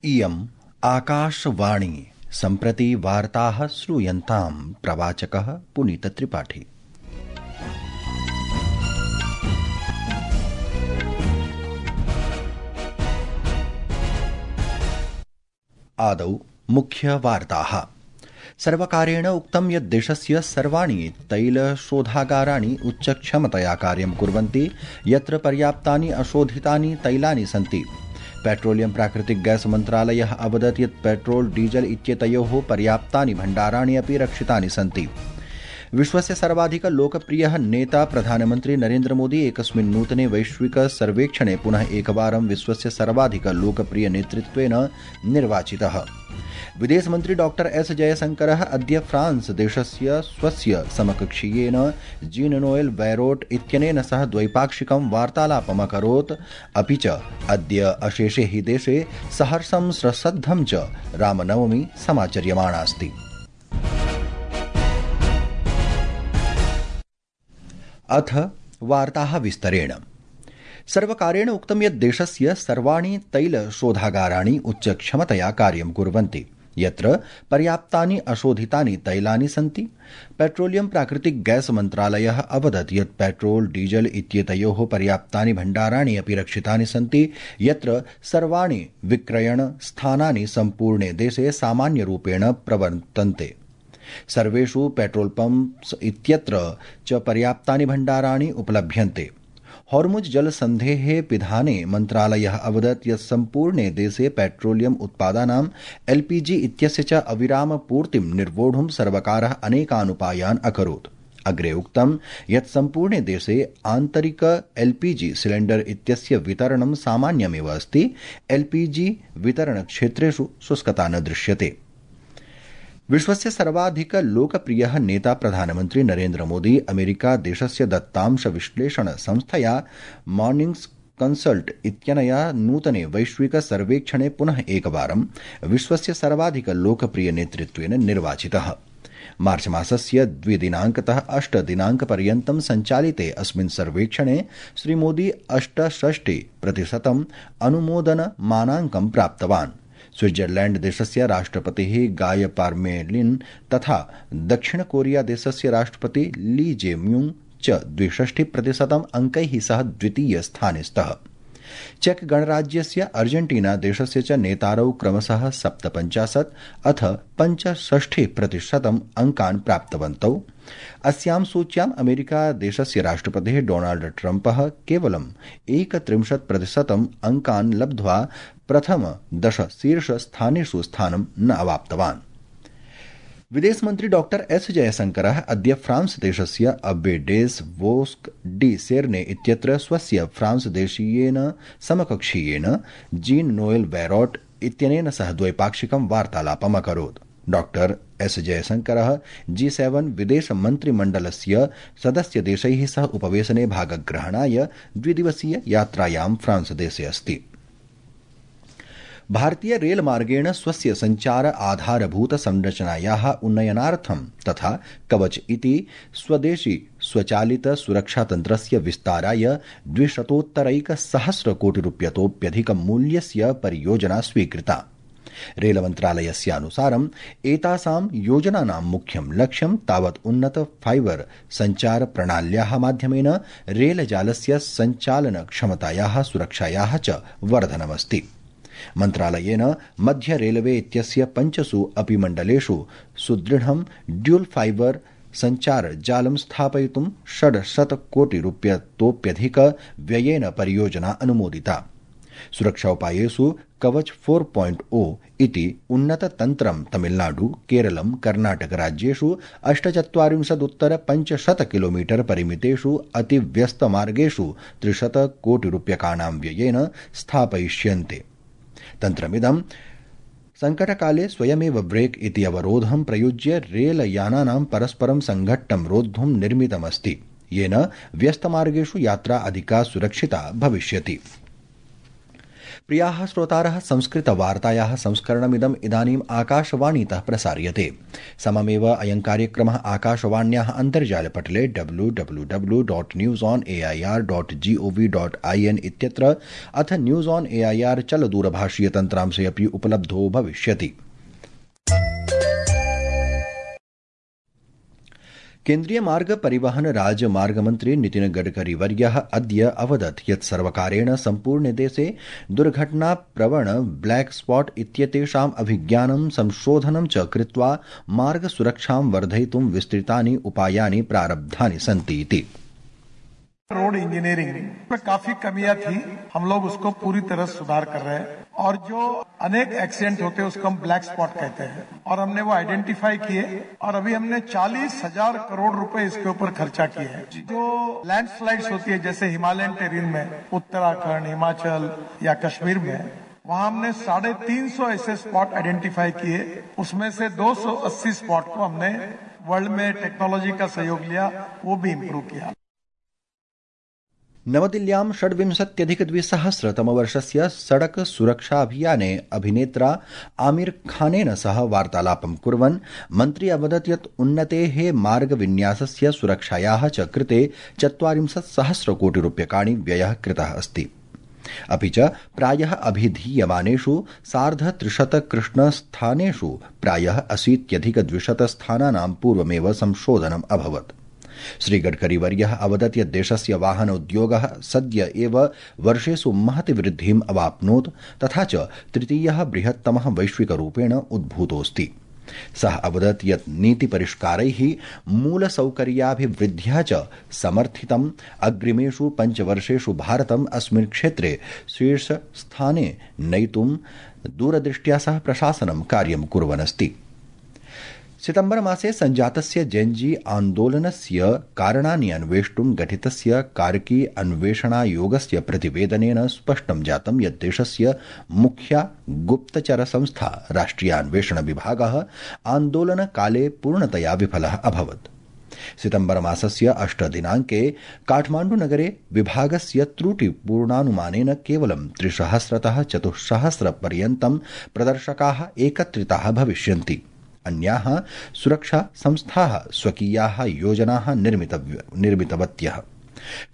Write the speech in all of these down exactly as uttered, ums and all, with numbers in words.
इयम् आकाशवाणी सम्प्रति वार्ताः श्रूयन्तां प्रवाचकः पुनीतत्रिपाठी। आदौ मुख्यवार्ताः। सर्वकारेण उक्तं यत् देशस्य सर्वाणि तैलशोधागाराणि उच्चक्षमतया कार्यं कुर्वन्ति, यत्र पर्याप्तानि अशोधितानि तैलानि सन्ति। पेट्रोलियम प्राकृतिक गैस मन्त्रालयः अवदत् यत् पेट्रोल डीजल इत्येतयोः पर्याप्तानि भण्डाराणि अपि रक्षितानि सन्ति। विश्वस्य सर्वाधिक लोकप्रियः नेता प्रधानमन्त्री नरेन्द्र मोदी एकस्मिन् नूतने वैश्विक सर्वेक्षणे पुनः एकवारं विश्वस्य सर्वाधिक लोकप्रिय नेतृत्वेन निर्वाचितः। विदेशमन्त्री डॉक्टर एस जयशंकरः अद्य फ्रांस देशस्य स्वस्य समकक्षीयेन जीन नोएल बैरोट इत्यनेन सह द्वैपाक्षिकं वार्तालापम् अकरोत्। अपि च अद्य अशेषे हि देशे सहर्षं सश्रद्धं च रामनवमी समाचर्यमाणा अस्ति। अथ वार्ताः विस्तरेण। सर्वकारेण उक्तं यत् देशस्य सर्वाणि तैलशोधागाराणि उच्चक्षमतया कार्यं कुर्वन्ति, यत्र पर्याप्तानि अशोधितानि तैलानि सन्ति। पेट्रोलियम प्राकृतिक गैस मन्त्रालयः अवदत् यत् पेट्रोल डीजल इत्येतयोः पर्याप्तानि भण्डाराणि अपि रक्षितानि सन्ति, यत्र सर्वाणि विक्रयण स्थानानि सम्पूर्णे देशे सामान्यरूपेण प्रवर्तन्ते। सर्वेषु पेट्रोल पम्प्स् इत्यत्र च पर्याप्तानि भण्डाराणि उपलभ्यन्ते। हॉर्मुज जलसन्धेः पिधाने मन्त्रालयः अवदत् यत् सम्पूर्णे देशे पेट्रोलियम उत्पादानाम् एलपीजी इत्यस्य च अविराम पूर्तिं निर्वोढुं सर्वकारः अनेकान् उपायान् अकरोत्। अग्रे उक्तं यत् सम्पूर्णे देशे आन्तरिक एलपीजी सिलेण्डर इत्यस्य वितरणं सामान्यमेव अस्ति। एलपीजी वितरणक्षेत्रेषु शुष्कता न दृश्यते। विश्वस्य सर्वाधिक लोकप्रियः नेता प्रधानमन्त्री नरेन्द्र मोदी अमेरिका देशस्य दत्तांश विश्लेषण संस्थया मॉर्निंग्स कंसल्ट इत्यनया नूतने वैश्विक सर्वेक्षणे पुनः एकवारं विश्वस्य सर्वाधिक लोकप्रिय नेतृत्वेन निर्वाचितः। मार्च मासस्य द्विदिनाङ्कतः अष्ट दिनाङ्कपर्यन्तं सञ्चालिते अस्मिन् सर्वेक्षणे श्रीमोदी अष्टषष्टि प्रतिशतम् अनुमोदनमानाङ्कं प्राप्तवान्। स्विट्जरलैंड देशस्य राष्ट्रपतिः गाय पार्मेलिन तथा दक्षिण कोरिया देशस्य राष्ट्रपति ली जे-म्यूङ् च द्विषष्टि प्रतिशतम् अंकैः सह द्वितीय स्थाने स्तः। चेक गणराज्यस्य अर्जेंटीना देशस्य च नेतारौ क्रमशः सप्तपञ्चाशत् अथ पञ्चषष्टि प्रतिशतम् अंकान् प्राप्तवन्तौ। अस्यां सूच्याम् अमेरिका देशस्य राष्ट्रपतिः डोनाल्ड ट्रम्पः केवलम् एकत्रिंशत् प्रतिशतम् अंकान् लब्ध्वा प्रथम दश शीर्ष स्थानेषु स्थानं न अवाप्तवान्। विदेशमन्त्री डॉक्टर एस जयशंकरः अद्य फ्रांस देशस्य अब्बे डेस वोस्क डी सेर्ने इत्यत्र स्वस्य फ्रांस देशीयेन समकक्षीयेन जीन नोएल बैरोट इत्यनेन सह द्वैपाक्षिकं वार्तालापम् अकरोत्। डॉक्टर एस जयशंकरः जी सेवन विदेश मन्त्रिमण्डलस्य सदस्यदेशैः सह उपवेशने भागग्रहणाय द्विदिवसीय यात्रायां फ्रांस देशे अस्ति। भारतीय रेलमार्गेण स्वस्य सञ्चार आधारभूत संरचनायाः उन्नयनार्थं तथा कवच इति स्वदेशी स्वचालित सुरक्षातन्त्रस्य विस्ताराय द्विशतोत्तरैकसहस्रकोटिरूप्यतोप्यधिक मूल्यस्य परियोजना स्वीकृता। रेलमन्त्रालयस्यानुसारम् एतासां योजनानां मुख्यं लक्ष्यं तावत् उन्नत फाइबर सञ्चार प्रणाल्याः माध्यमेन रेलजालस्य सञ्चालन क्षमतायाः सुरक्षायाः च वर्धनमस्ति। मन्त्रालयेन मध्य रेलवे इत्यस्य पञ्चसु अपि मण्डलेषु सुदृढं ड्यूल फाइबर सञ्चार जालं स्थापयितुं षड्शतकोटिरूप्यतोप्यधिक व्ययेन परियोजना अनुमोदिता। सुरक्षा उपायेषु कवच फोर पॉइंट ओ इति उन्नततन्त्रं तमिलनाडु, केरलं, कर्णाटक राज्येषु अष्टचत्वारिंशदुत्तर पञ्चशत किलोमीटर परिमितेषु अतिव्यस्तमार्गेषु त्रिशत कोटिरूप्यकाणां व्ययेन स्थापयिष्यन्ते। तन्त्रमिदं संकटकाले स्वयमेव ब्रेक इति अवरोधं प्रयुज्य रेलयानानां परस्परं संघट्टं रोद्धुं निर्मितमस्ति, येन व्यस्तमार्गेषु यात्रा अधिका सुरक्षिता भविष्यति। प्रियाः श्रोतारः, संस्कृतवार्तायाः संस्करणमिदम् इदानीम् आकाशवाणीतः प्रसार्यते। सममेव अयं कार्यक्रमः आकाशवाण्याः अन्तर्जालपटले W W W dot news on A I R dot G O V dot I N इत्यत्र अथ news on A I R चलदूरभाषीयतन्त्रांशे अपि उपलब्धो भविष्यति। केन्द्रीय मार्ग परिवहन राजमार्ग मन्त्री नितिन गडकरी वर्यः अद्य अवदत् यत् सर्वकारेण सम्पूर्णे देशे दुर्घटना प्रवण ब्लैक स्पॉट इत्येतेषाम् अभिज्ञानं संशोधनं च कृत्वा मार्ग सुरक्षां वर्धयितुं विस्तृतानि उपायानि प्रारब्धानि सन्ति इति। रोड इंजीनियरिंग में काफी कमियां थी, हम लोग उसको पूरी तरह सुधार कर रहे हैं और जो अनेक एक्सीडेंट होते हैं उसको हम ब्लैक स्पॉट कहते हैं और हमने वो आइडेंटिफाई किए और अभी हमने चालीस हजार करोड़ रुपए इसके ऊपर खर्चा किए हैं। जो लैंडस्लाइड्स होती है जैसे हिमालयन टेरेन में उत्तराखंड, हिमाचल या कश्मीर में, वहां हमने साढ़े तीन सौ ऐसे स्पॉट आइडेंटिफाई किए, उसमें से दो सौ अस्सी स्पॉट को हमने वर्ल्ड में टेक्नोलॉजी का सहयोग लिया, वो भी इम्प्रूव किया। नवदिल्ल्यां षड्विंशत्यधिकद्विसहस्रतमवर्षस्य सड़क सुरक्षाभियाने अभिनेत्रा आमिर खानेन सह वार्तालापं कुर्वन् मन्त्री अवदत् यत् उन्नतेः मार्गविन्यासस्य सुरक्षायाः च कृते चत्वारिंशत् सहस्रकोटिरूप्यकाणि व्ययः कृतः अस्ति। अपि च प्रायः अभिधीयमानेषु सार्धत्रिशतकृष्णस्थानेषु प्रायः अशीत्यधिकद्विशतस्थानानां पूर्वमेव संशोधनम् अभवत्। श्रीगडकरीवर्यः अवदत् यत् देशस्य वाहन उद्योगः सद्य एव वर्षेषु महति वृद्धिम् अवाप्नोत् तथा च तृतीयः बृहत्तमः वैश्विकरूपेण उद्भूतोऽस्ति। सः अवदत् यत् नीतिपरिष्कारैः मूलसौकर्याभिवृद्ध्या च समर्थितम् अग्रिमेषु पञ्चवर्षेषु भारतम् अस्मिन् क्षेत्रे शीर्षस्थाने नयितुं दूरदृष्ट्या सह प्रशासनं कार्यं कुर्वन्नस्ति। सितम्बर मासे सञ्जातस्य जेन्जी आन्दोलनस्य कारणानि अन्वेष्टुं गठितस्य कार्की अन्वेषणायोगस्य प्रतिवेदनेन स्पष्टं जातं यत् देशस्य मुख्या गुप्तचरसंस्था राष्ट्रियान्वेषण विभागः आन्दोलनकाले पूर्णतया विफलः अभवत्। सितम्बर मासस्य अष्टदिनाङ्के काठमाण्डुनगरे विभागस्य त्रुटिपूर्णानुमानेन केवलं त्रिसहस्रतः चतुस्सहस्रपर्यन्तं प्रदर्शकाः एकत्रिताः भविष्यन्ति। अन्याः सुरक्षा संस्थाः स्वकीयाः योजनाः निर्मितवत्यः।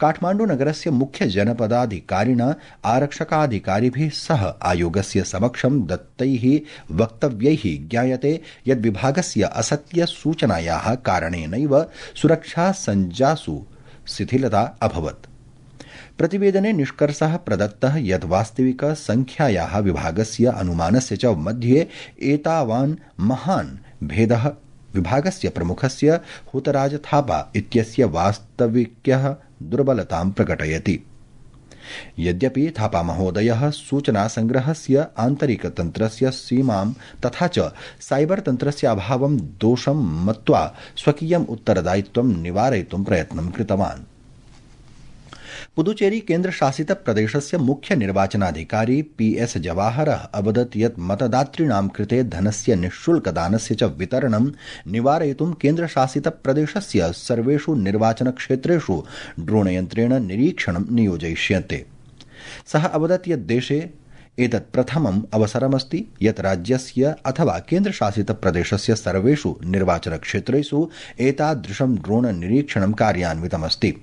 काठमाण्डुनगरस्य मुख्य जनपदाधिकारिणा आरक्षकाधिकारिभिः सह आयोगस्य समक्षं दत्तैः वक्तव्यैः ज्ञायते यत् विभागस्य असत्यसूचनायाः कारणेनैव सुरक्षासञ्जासु शिथिलता अभवत्। प्रतिवेदने निष्कर्षः प्रदत्तः यत् वास्तविक संख्यायाः विभागस्य अनुमानस्य च मध्ये एतावान् महान् भेदः विभागस्य प्रमुखस्य हुतराज थापा इत्यस्य वास्तविक्यः दुर्बलतां प्रकटयति। यद्यपि थापा महोदयः सूचनासंग्रहस्य आन्तरिकतन्त्रस्य सीमां तथा च साइबर तन्त्रस्य अभावं दोषं मत्वा स्वकीयम् उत्तरदायित्वं निवारयितुं प्रयत्नं कृतवान्। पुदुचेरी केन्द्रशासित प्रदेशस्य मुख्य निर्वाचनाधिकारी पी एस जवाहरः अवदत् यत् मतदातॄणां कृते धनस्य निःशुल्कदानस्य च वितरणं निवारयितुं केन्द्रशासित प्रदेशस्य सर्वेषु निर्वाचनक्षेत्रेषु ड्रोणयन्त्रेण निरीक्षणं नियोजयिष्यते। सः अवदत् यत् देशे एतत् प्रथमम् अवसरमस्ति यत् राज्यस्य अथवा केन्द्रशासित प्रदेशस्य सर्वेषु निर्वाचनक्षेत्रेषु एतादृशं ड्रोण निरीक्षणं कार्यान्वितमस्ति।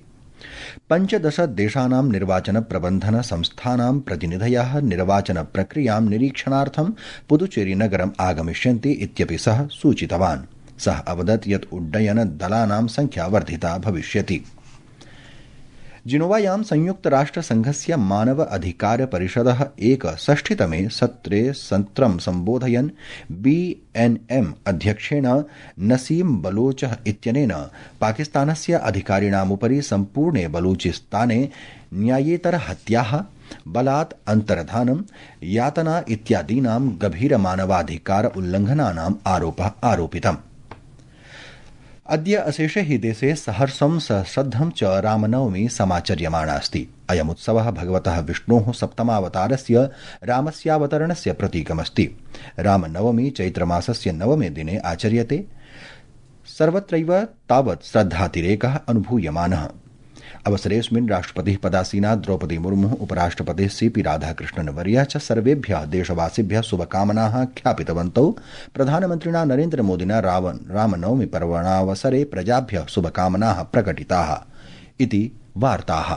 पञ्चदश देशानां निर्वाचन प्रबन्धन संस्थानां प्रतिनिधयः निर्वाचन प्रक्रियां निरीक्षणार्थं पुदुचेरी नगरम् आगमिष्यन्ति इत्यपि सः सूचितवान्। सः अवदत् यत् उड्डयन दलानां संख्या वर्धिता भविष्यति। जिनोवायां संयुक्तराष्ट्रसंघस्य मानव अधिकार परिषदः एकषष्टितमे सत्रे सत्रं सम्बोधयन् बी एन एम अध्यक्षेण नसीम बलोच इत्यनेन पाकिस्तानस्य अधिकारिणामुपरि सम्पूर्णे बलूचिस्ताने न्यायेतर हत्याः, बलात् अन्तर्धानं, यातना इत्यादीनां गभीरमानवाधिकार उल्लङ्घनानाम् आरोपः आरोपितम्। अद्य अशेषे हि देशे सहर्षं सश्रद्धं च रामनवमी समाचर्यमाणा अस्ति। अयमुत्सवः भगवतः विष्णोः सप्तमावतारस्य रामस्यावतरणस्य प्रतीकमस्ति। रामनवमी चैत्रमासस्य नवमे दिने आचर्यते। सर्वत्रैव तावत् श्रद्धातिरेकः अनुभूयमानः। अवसरेऽस्मिन् राष्ट्रपतिः पदासीना द्रौपदी मुर्मुः उपराष्ट्रपतिः सीपी राधाकृष्णन् वर्यः च सर्वेभ्यः देशवासिभ्यः शुभकामनाः ज्ञापितवन्तौ। प्रधानमन्त्रिणा नरेन्द्रमोदिना रामनवमी पर्वणावसरे प्रजाभ्यः शुभकामनाः प्रकटिताः इति वार्ताः।